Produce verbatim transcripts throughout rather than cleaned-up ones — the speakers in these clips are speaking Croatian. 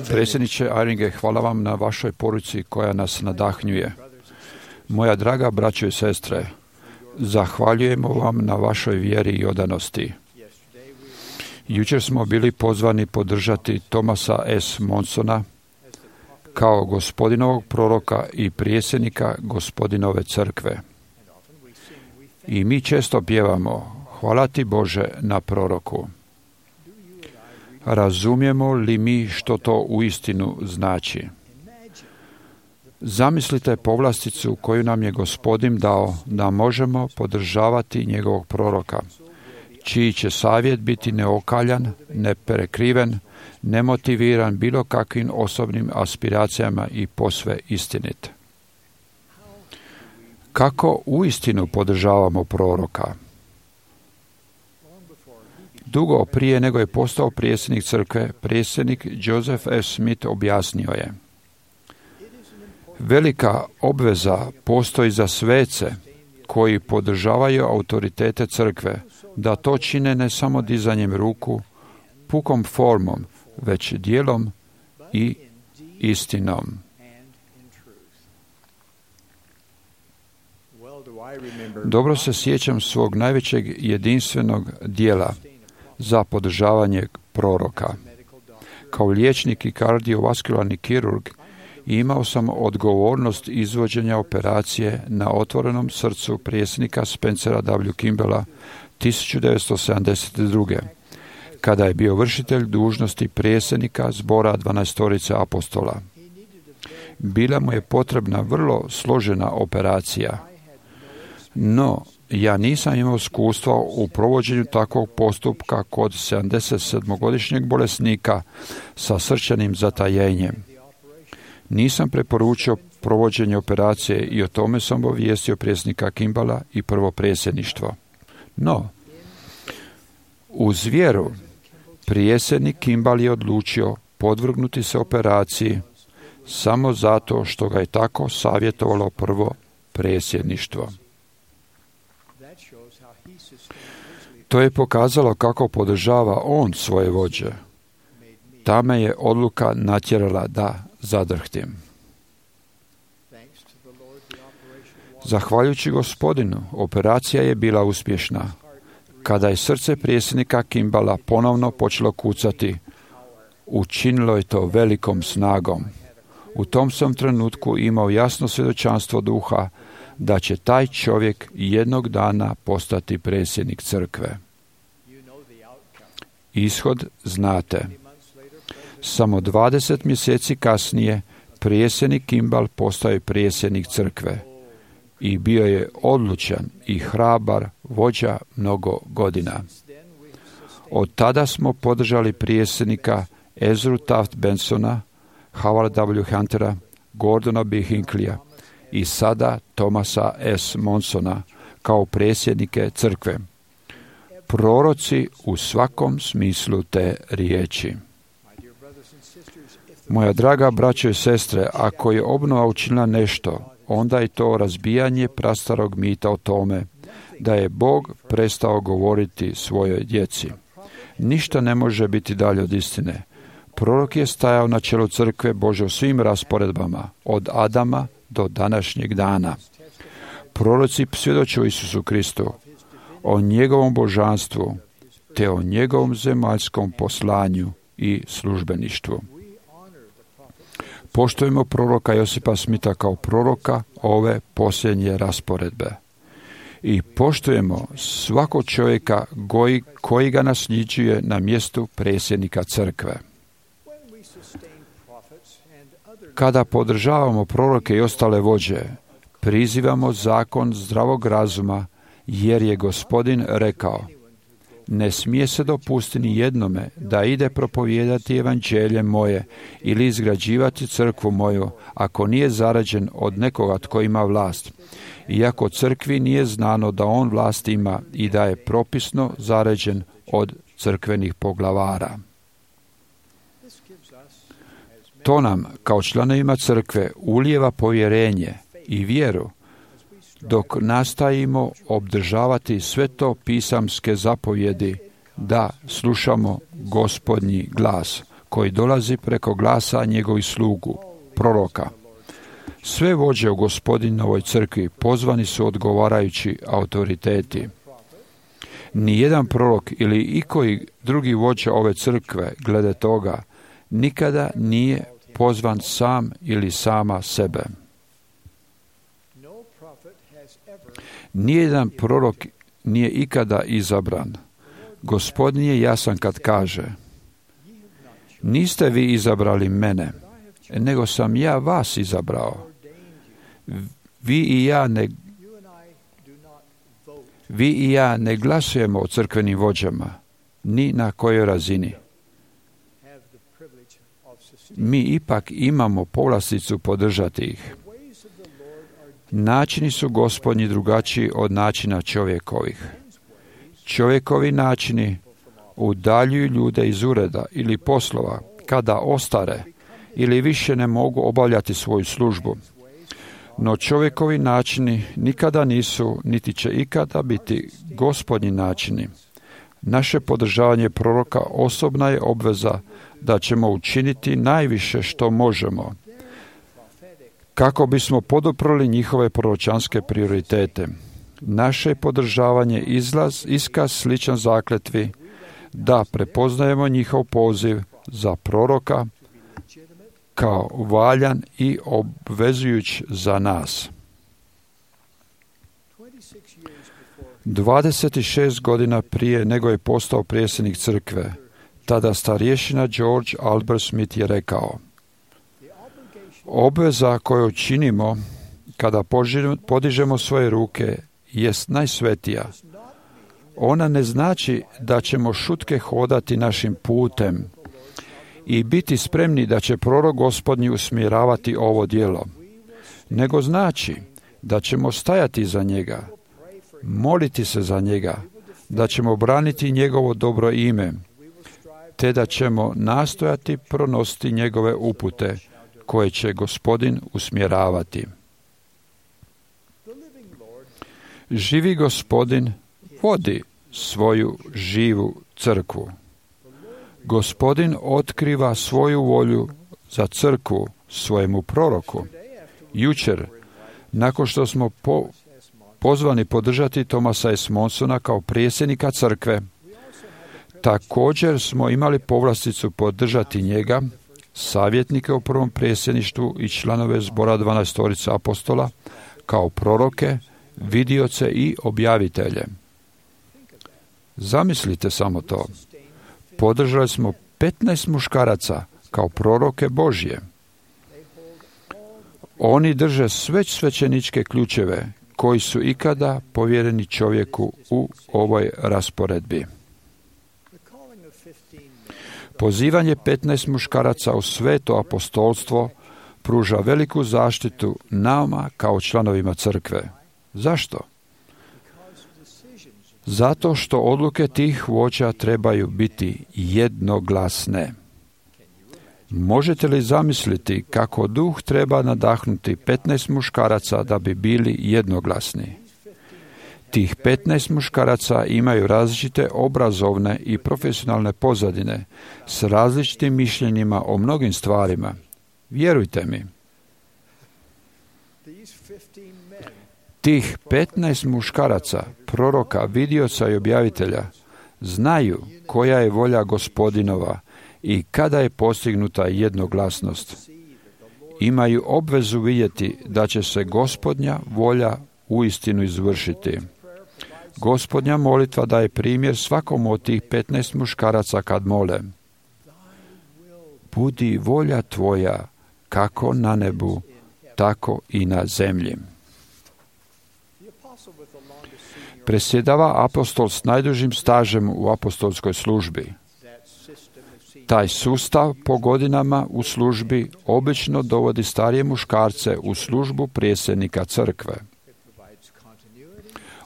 Predsjedniče Eyringe, hvala vam na vašoj poruci koja nas nadahnjuje. Moja draga braćo i sestre, zahvaljujemo vam na vašoj vjeri i odanosti. Jučer smo bili pozvani podržati Thomasa S. Monsona kao gospodinovog proroka i prijesednika gospodinove crkve. I mi često pjevamo, hvala ti Bože na proroku. Razumijemo li mi što to uistinu znači? Zamislite povlasticu koju nam je Gospodin dao da možemo podržavati njegovog proroka, čiji će savjet biti neokaljan, neprekriven, nemotiviran bilo kakvim osobnim aspiracijama i posve istinit. Kako uistinu podržavamo proroka? Dugo prije nego je postao predsjednik crkve, predsjednik Joseph F. Smith objasnio je: velika obveza postoji za svece koji podržavaju autoritete crkve, da to čine ne samo dizanjem ruku, pukom formom, već djelom i istinom. Dobro se sjećam svog najvećeg jedinstvenog dijela za podržavanje proroka. Kao liječnik i kardiovaskularni kirurg imao sam odgovornost izvođenja operacije na otvorenom srcu predsjednika Spencera W. Kimballa tisuću devetsto sedamdeset druge. kada je bio vršitelj dužnosti predsjednika zbora dvanaestorice apostola. Bila mu je potrebna vrlo složena operacija, no ja nisam imao iskustva u provođenju takvog postupka kod sedamdesetsedmogodišnjeg bolesnika sa srčanim zatajenjem. Nisam preporučio provođenje operacije i o tome sam obavijestio predsjednika Kimballa i prvo predsjedništvo. No, uz vjeru, predsjednik Kimball je odlučio podvrgnuti se operaciji samo zato što ga je tako savjetovalo prvo predsjedništvo. To je pokazalo kako podržava on svoje vođe. Ta me je odluka natjerala da zadrhtim. Zahvaljujući Gospodinu, operacija je bila uspješna. Kada je srce predsjednika Kimballa ponovno počelo kucati, učinilo je to velikom snagom. U tom sam trenutku imao jasno svjedočanstvo duha da će taj čovjek jednog dana postati predsjednik crkve. Ishod znate. Samo dvadeset mjeseci kasnije predsjednik Kimball postao je predsjednik crkve i bio je odlučan i hrabar vođa mnogo godina. Od tada smo podržali predsjednika Ezru Taft Bensona, Howarda W. Huntera, Gordona B. Hinckleyja i sada Thomasa S. Monsona kao predsjednike crkve. Proroci u svakom smislu te riječi. Moja draga braćo i sestre, ako je obnova učinila nešto, onda je to razbijanje prastarog mita o tome da je Bog prestao govoriti svojoj djeci. Ništa ne može biti dalje od istine. Prorok je stajao na čelu crkve Bože u svim rasporedbama, od Adama do današnjeg dana. Proroci svjedoče o Isusu Kristu, o njegovom božanstvu, te o njegovom zemaljskom poslanju i službeništvu. Poštujemo proroka Josipa Smitha kao proroka ove posljednje rasporedbe. I poštujemo svakog čovjeka koji, koji ga nasljeđuje na mjestu predsjednika crkve. Kada podržavamo proroke i ostale vođe, prizivamo zakon zdravog razuma, jer je Gospodin rekao: ne smije se dopustiti ni jednome da ide propovijedati evanđelje moje ili izgrađivati crkvu moju, ako nije zarađen od nekoga tko ima vlast. Iako crkvi nije znano da on vlast ima i da je propisno zarađen od crkvenih poglavara. To nam, kao članovima crkve, ulijeva povjerenje i vjeru, dok nastojimo obdržavati sve to pisamske zapovjedi da slušamo Gospodnji glas koji dolazi preko glasa njegovih slugu, proroka. Sve vođe u Gospodinovoj crkvi pozvani su odgovarajući autoriteti. Nijedan prorok ili ikoji drugi vođa ove crkve glede toga nikada nije pozvan sam ili sama sebe. Nijedan prorok nije ikada izabran. Gospodin je jasan kad kaže: niste vi izabrali mene, nego sam ja vas izabrao. Vi i ja ne, vi i ja ne glasujemo o crkvenim vođama, ni na kojoj razini. Mi ipak imamo povlasticu podržati ih. Načini su Gospodnji drugačiji od načina čovjekovih. Čovjekovi načini udaljuju ljude iz ureda ili poslova kada ostare ili više ne mogu obavljati svoju službu. No čovjekovi načini nikada nisu, niti će ikada biti Gospodnji načini. Naše podržavanje proroka osobna je obveza da ćemo učiniti najviše što možemo kako bismo poduprli njihove proročanske prioritete. Naše podržavanje izlaz, iskaz sličan zakletvi da prepoznajemo njihov poziv za proroka kao valjan i obvezujuć za nas. dvadeset šest godina prije nego je postao predsjednik crkve, tada starješina George Albert Smith je rekao: obveza koju činimo kada podižemo svoje ruke jest najsvetija. Ona ne znači da ćemo šutke hodati našim putem i biti spremni da će prorok Gospodnji usmjeravati ovo djelo, nego znači da ćemo stajati za njega, moliti se za njega, da ćemo braniti njegovo dobro ime, te da ćemo nastojati pronositi njegove upute koje će Gospodin usmjeravati. Živi Gospodin vodi svoju živu crkvu. Gospodin otkriva svoju volju za crkvu svojemu proroku. Jučer, nakon što smo po, pozvani podržati Thomasa S. Monsona kao predsjednika crkve, također smo imali povlasticu podržati njega, savjetnike u prvom predsjedništvu i članove zbora dvanaestorica apostola, kao proroke, vidioce i objavitelje. Zamislite samo to. Podržali smo petnaest muškaraca kao proroke Božje. Oni drže sve svećeničke ključeve koji su ikada povjereni čovjeku u ovoj rasporedbi. Pozivanje petnaest muškaraca u sveto apostolstvo pruža veliku zaštitu nama kao članovima crkve. Zašto? Zato što odluke tih vođa trebaju biti jednoglasne. Možete li zamisliti kako duh treba nadahnuti petnaest muškaraca da bi bili jednoglasni? Tih petnaest muškaraca imaju različite obrazovne i profesionalne pozadine s različitim mišljenjima o mnogim stvarima. Vjerujte mi. Tih petnaest muškaraca, proroka, vidioca i objavitelja, znaju koja je volja Gospodinova i kada je postignuta jednoglasnost. Imaju obvezu vidjeti da će se Gospodnja volja uistinu izvršiti. Gospodnja molitva daje primjer svakom od tih petnaest muškaraca kad mole: budi volja tvoja kako na nebu, tako i na zemlji. Presjedava apostol s najdužim stažem u apostolskoj službi. Taj sustav po godinama u službi obično dovodi starije muškarce u službu predsjednika crkve.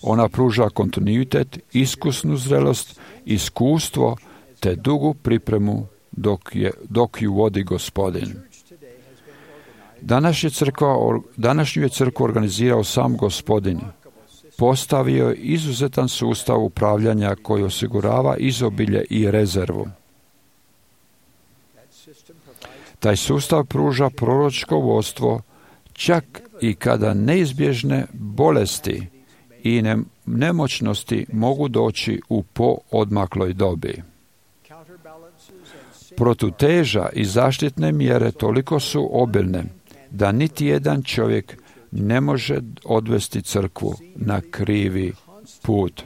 Ona pruža kontinuitet, iskusnu zrelost, iskustvo te dugu pripremu dok, je, dok ju vodi Gospodin. Današnju je crkva, današnju je crkvu organizirao sam Gospodin. postavio je izuzetan sustav upravljanja koji osigurava izobilje i rezervu. Taj sustav pruža proročko vodstvo čak i kada neizbježne bolesti i ne, nemoćnosti mogu doći u poodmakloj dobi. Protuteža i zaštitne mjere toliko su obilne da niti jedan čovjek ne može odvesti crkvu na krivi put.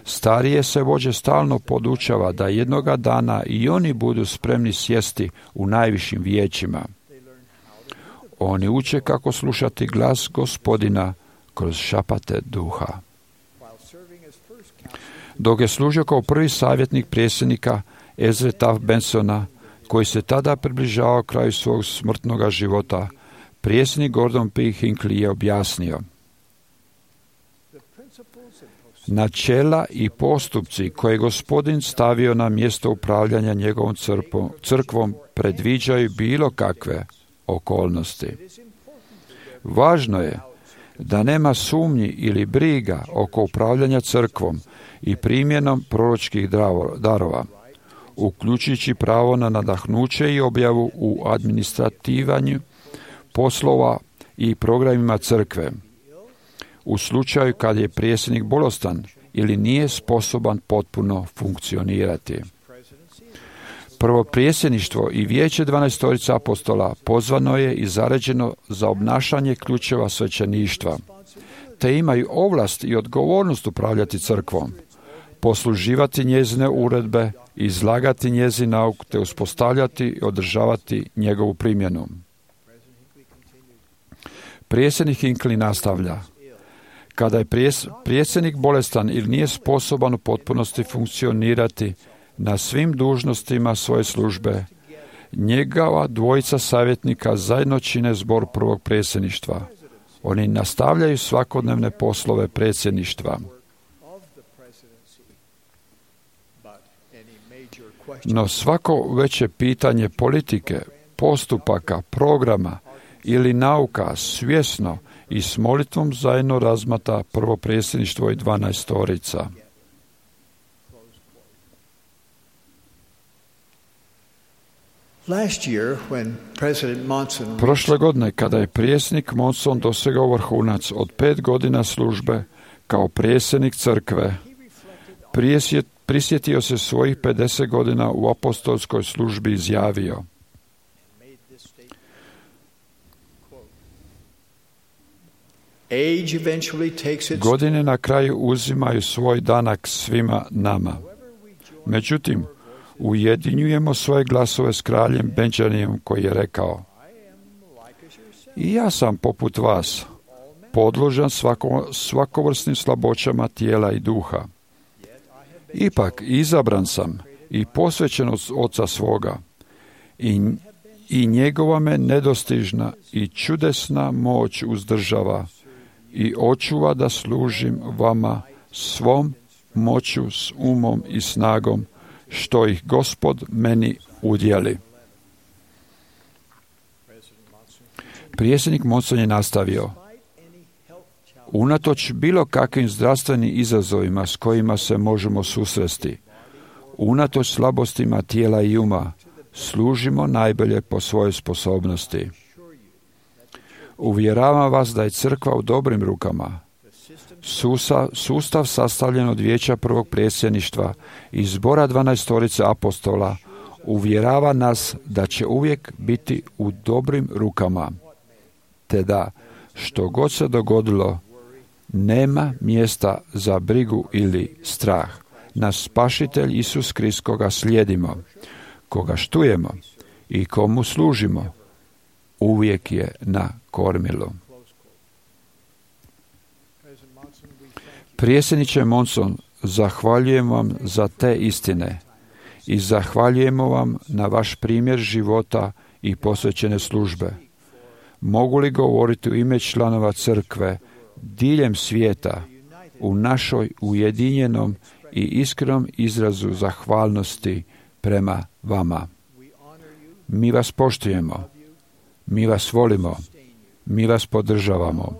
Starije se vođe stalno podučava da jednoga dana i oni budu spremni sjesti u najvišim vijećima. Oni uče kako slušati glas Gospodina kroz šapate duha. Dok je služio kao prvi savjetnik predsjednika Ezre Taft Bensona, koji se tada približavao kraju svog smrtnoga života, predsjednik Gordon P. Hinckley je objasnio: načela i postupci koje je Gospodin stavio na mjesto upravljanja njegovom crkvom predviđaju bilo kakve okolnosti. Važno je da nema sumnji ili briga oko upravljanja crkvom i primjenom proročkih darova, uključujući pravo na nadahnuće i objavu u administrativanju poslova i programima crkve, u slučaju kad je predsjednik bolestan ili nije sposoban potpuno funkcionirati. Prvo predsjedništvo i vijeće dvanaestorice apostola pozvano je i zaređeno za obnašanje ključeva svećeništva, te imaju ovlast i odgovornost upravljati crkvom, posluživati njezine uredbe, izlagati njezin nauk, te uspostavljati i održavati njegovu primjenu. Predsjednik Hinckley nastavlja: kada je predsjednik bolestan ili nije sposoban u potpunosti funkcionirati na svim dužnostima svoje službe, njegova dvojica savjetnika zajedno čine zbor prvog predsjedništva. Oni nastavljaju svakodnevne poslove predsjedništva. No svako veće pitanje politike, postupaka, programa ili nauka svjesno i s molitvom zajedno razmata prvo predsjedništvo i dvanaestorica. Prošle godine, kada je predsjednik Monson dosegao vrhunac od pet godina službe kao predsjednik crkve, prisjetio se svojih pedeset godina u apostolskoj službi i izjavio: godine na kraju uzimaju svoj danak svima nama. Međutim, ujedinjujemo svoje glasove s kraljem Benjaminom, koji je rekao: i ja sam poput vas, podložan svako, svakovrsnim slaboćama tijela i duha. Ipak izabran sam i posvećen od oca svoga, i, i njegova me nedostižna i čudesna moć uzdržava i očuva da služim vama svom moću, s umom i snagom, što ih Gospod meni udjeli. Predsjednik Monson je nastavio: unatoč bilo kakvim zdravstvenim izazovima s kojima se možemo susresti, unatoč slabostima tijela i uma, služimo najbolje po svojoj sposobnosti. Uvjeravam vas da je crkva u dobrim rukama. Sustav, sustav sastavljen od vijeća prvog predsjedništva i zbora dvanaestorice apostola uvjerava nas da će uvijek biti u dobrim rukama, te da, što god se dogodilo, nema mjesta za brigu ili strah. Naš Spasitelj Isus Krist, koga slijedimo, koga štujemo i komu služimo, uvijek je na kormilu. Predsjedniče Monson, zahvaljujem vam za te istine i zahvaljujemo vam na vaš primjer života i posvećene službe. Mogu li govoriti u ime članova crkve diljem svijeta u našoj ujedinjenom i iskrenom izrazu zahvalnosti prema vama? Mi vas poštujemo, mi vas volimo, mi vas podržavamo,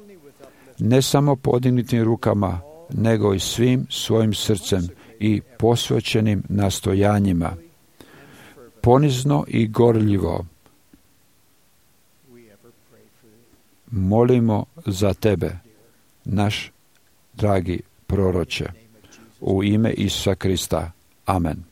ne samo podignutim rukama, nego i svim svojim srcem i posvećenim nastojanjima. Ponizno i gorljivo molimo za tebe, naš dragi proroče, u ime Isusa Krista. Amen.